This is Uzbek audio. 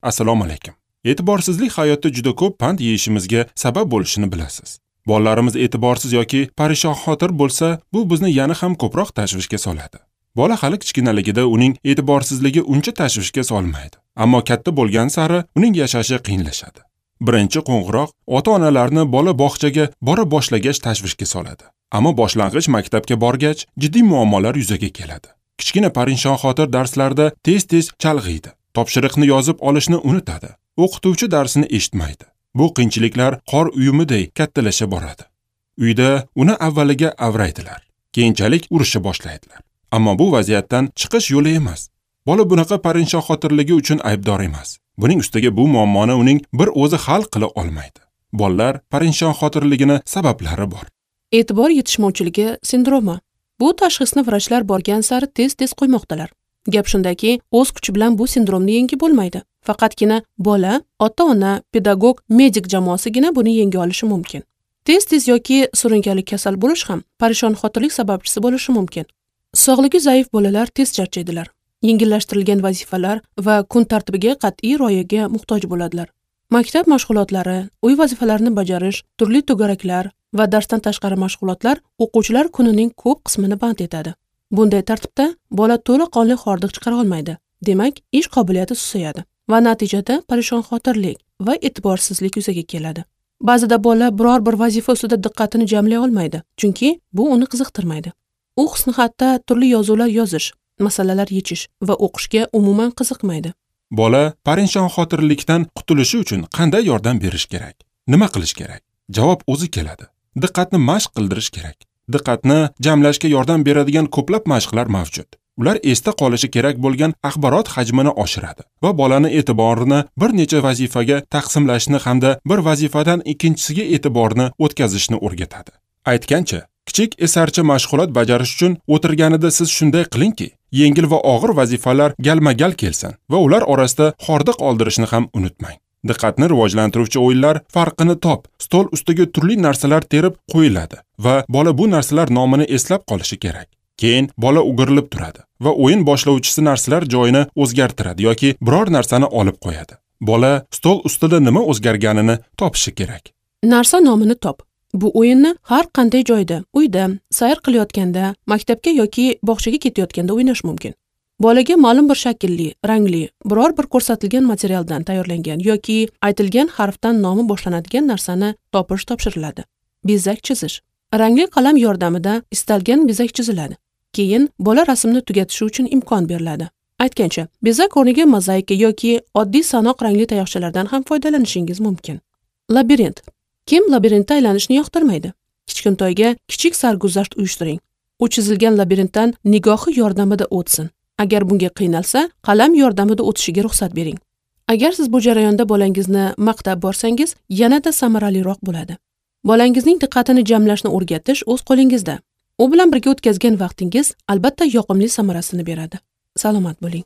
Assalomu alaykum. E'tiborsizlik hayotda juda ko'p pand yeyishimizga sabab bo'lishini bilasiz. Bolalarimiz e'tiborsiz yoki parishonxotir bo'lsa, bu bizni yana ham ko'proq tashvishga soladi. Bola hali kichkinaligida uning e'tiborsizligi uncha tashvishga solmaydi. Ammo katta bo'lgan sari uning yashashi qiyinlashadi. Birinchi qo'ng'iroq ota-onalarni bola bog'chaga bora boshlagach tashvishga soladi. Ammo boshlang'ich maktabga borgach jiddiy muammolar yuzaga keladi. Kichkina parishonxotir darslarda tez-tez chalg'iydi. Topshiriqni yozib olishni unutadi. O'qituvchi darsini eshitmaydi. Bu qiyinchiliklar qor uyumiday kattalasha boradi. Uyda uni avvaliga avraydilar, keyinchalik urisha boshlaydilar. Ammo bu vaziyatdan chiqish yo'li emas. Bola bunaqa parishonxotirligi uchun aybdor emas. Buning ustiga bu muammoni uning bir o'zi hal qila olmaydi. Bolalar parishonxotirligini sabablari bor. E'tibor yetishmovchiligi sindromi. Bu tashxisni vrachlar borgan sari tez-tez qo'ymoqdalar. Gap shundaki, o'z kuchi bilan bu sindromni yengib bo'lmaydi. Faqatgina bola, ota-ona, pedagog, medik jamoasigina buni yenga olishi mumkin. Tez-tez yoki surunkali kasal bo'lish ham parishonxotirlik sababchisi bo'lishi mumkin. Sog'ligi zaif bolalar tez charchaydilar. Yengillashtirilgan vazifalar va kun tartibiga qat'iy rioyaga muhtoj bo'ladilar. Maktab mashg'ulotlari, uy vazifalarini bajarish, turli to'garaklar va darsdan tashqari mashg'ulotlar o'quvchilar kunining ko'p qismini band etadi. Bunday tartibda bola to'laqonli hordiq chiqara olmaydi. Demak, ish qobiliyati susayadi va natijada parishonxotirlik va e'tiborsizlik yuzaga keladi. Ba'zida bola biror bir vazifa ustida diqqatini jamlay olmaydi, chunki bu uni qiziqtirmaydi. U husnixatda turli yozuvlar yozish, masalalar yechish va o'qishga umuman qiziqmaydi. Bola parishonxotirlikdan qutulishi uchun qanday yordam berish kerak? Nima qilish kerak? Javob o'zi keladi. Diqqatni mashq qildirish kerak. Diqqatni jamlashga yordam beradigan ko'plab mashqlar mavjud. Ular esda qolishi kerak bo'lgan axborot hajmini oshiradi va bolani e'tiborini bir necha vazifaga taqsimlashni hamda bir vazifadan ikkinchisiga e'tiborni o'tkazishni o'rgatadi. Aytgancha, kichik esarcha mashg'ulot bajarish uchun o'tirganida siz shunday qilingki, yengil va og'ir vazifalar galma-gal kelsin va ular orasida hordiq oldirishni ham unutmang. Diqqatni rivojlantiruvchi o'yinlar farqini top, stol ustiga turli narsalar terib qo'yiladi va bola bu narsalar nomini eslab qolishi kerak. Keyin bola o'girilib turadi va o'yin boshlovchisi narsalar joyini o'zgartiradi yoki biror narsani olib qo'yadi. Bola stol ustida nima o'zgarganini topishi kerak. Narsa nomini top. Bu o'yinni har qanday joyda, uyda, sayr qilayotganda, maktabga yoki bog'chaga ketayotganda o'ynash mumkin. Bolaga ma'lum bir shaklli, rangli, biror bir ko'rsatilgan materialdan tayyorlangan yoki aytilgan harfdan nomi boshlanadigan narsani topish topshiriladi. Bezak chizish. Rangli qalam yordamida istalgan bezak chiziladi. Keyin bola rasmni tugatishi uchun imkon beriladi. Aytgancha, bezak o'rniga mozaika yoki oddiy sanoq rangli tayoqchalardan ham foydalanishingiz mumkin. Labirint. Kim labirintda aylanishni yoqtirmaydi? Kichkintoyga kichik sarguzasht uyushtiring. U chizilgan labirintdan nigohi yordamida o'tsin. Agar bunga qiynalsa, qalam yordamida o'tishiga ruxsat bering. Agar siz bu jarayonda bolangizni maqtab borsangiz, yanada samaraliroq bo'ladi. Bolangizning diqqatini jamlashni o'rgatish o'z qo'lingizda. U bilan birga o'tkazgan vaqtingiz albatta yoqimli samarasini beradi. Salomat bo'ling.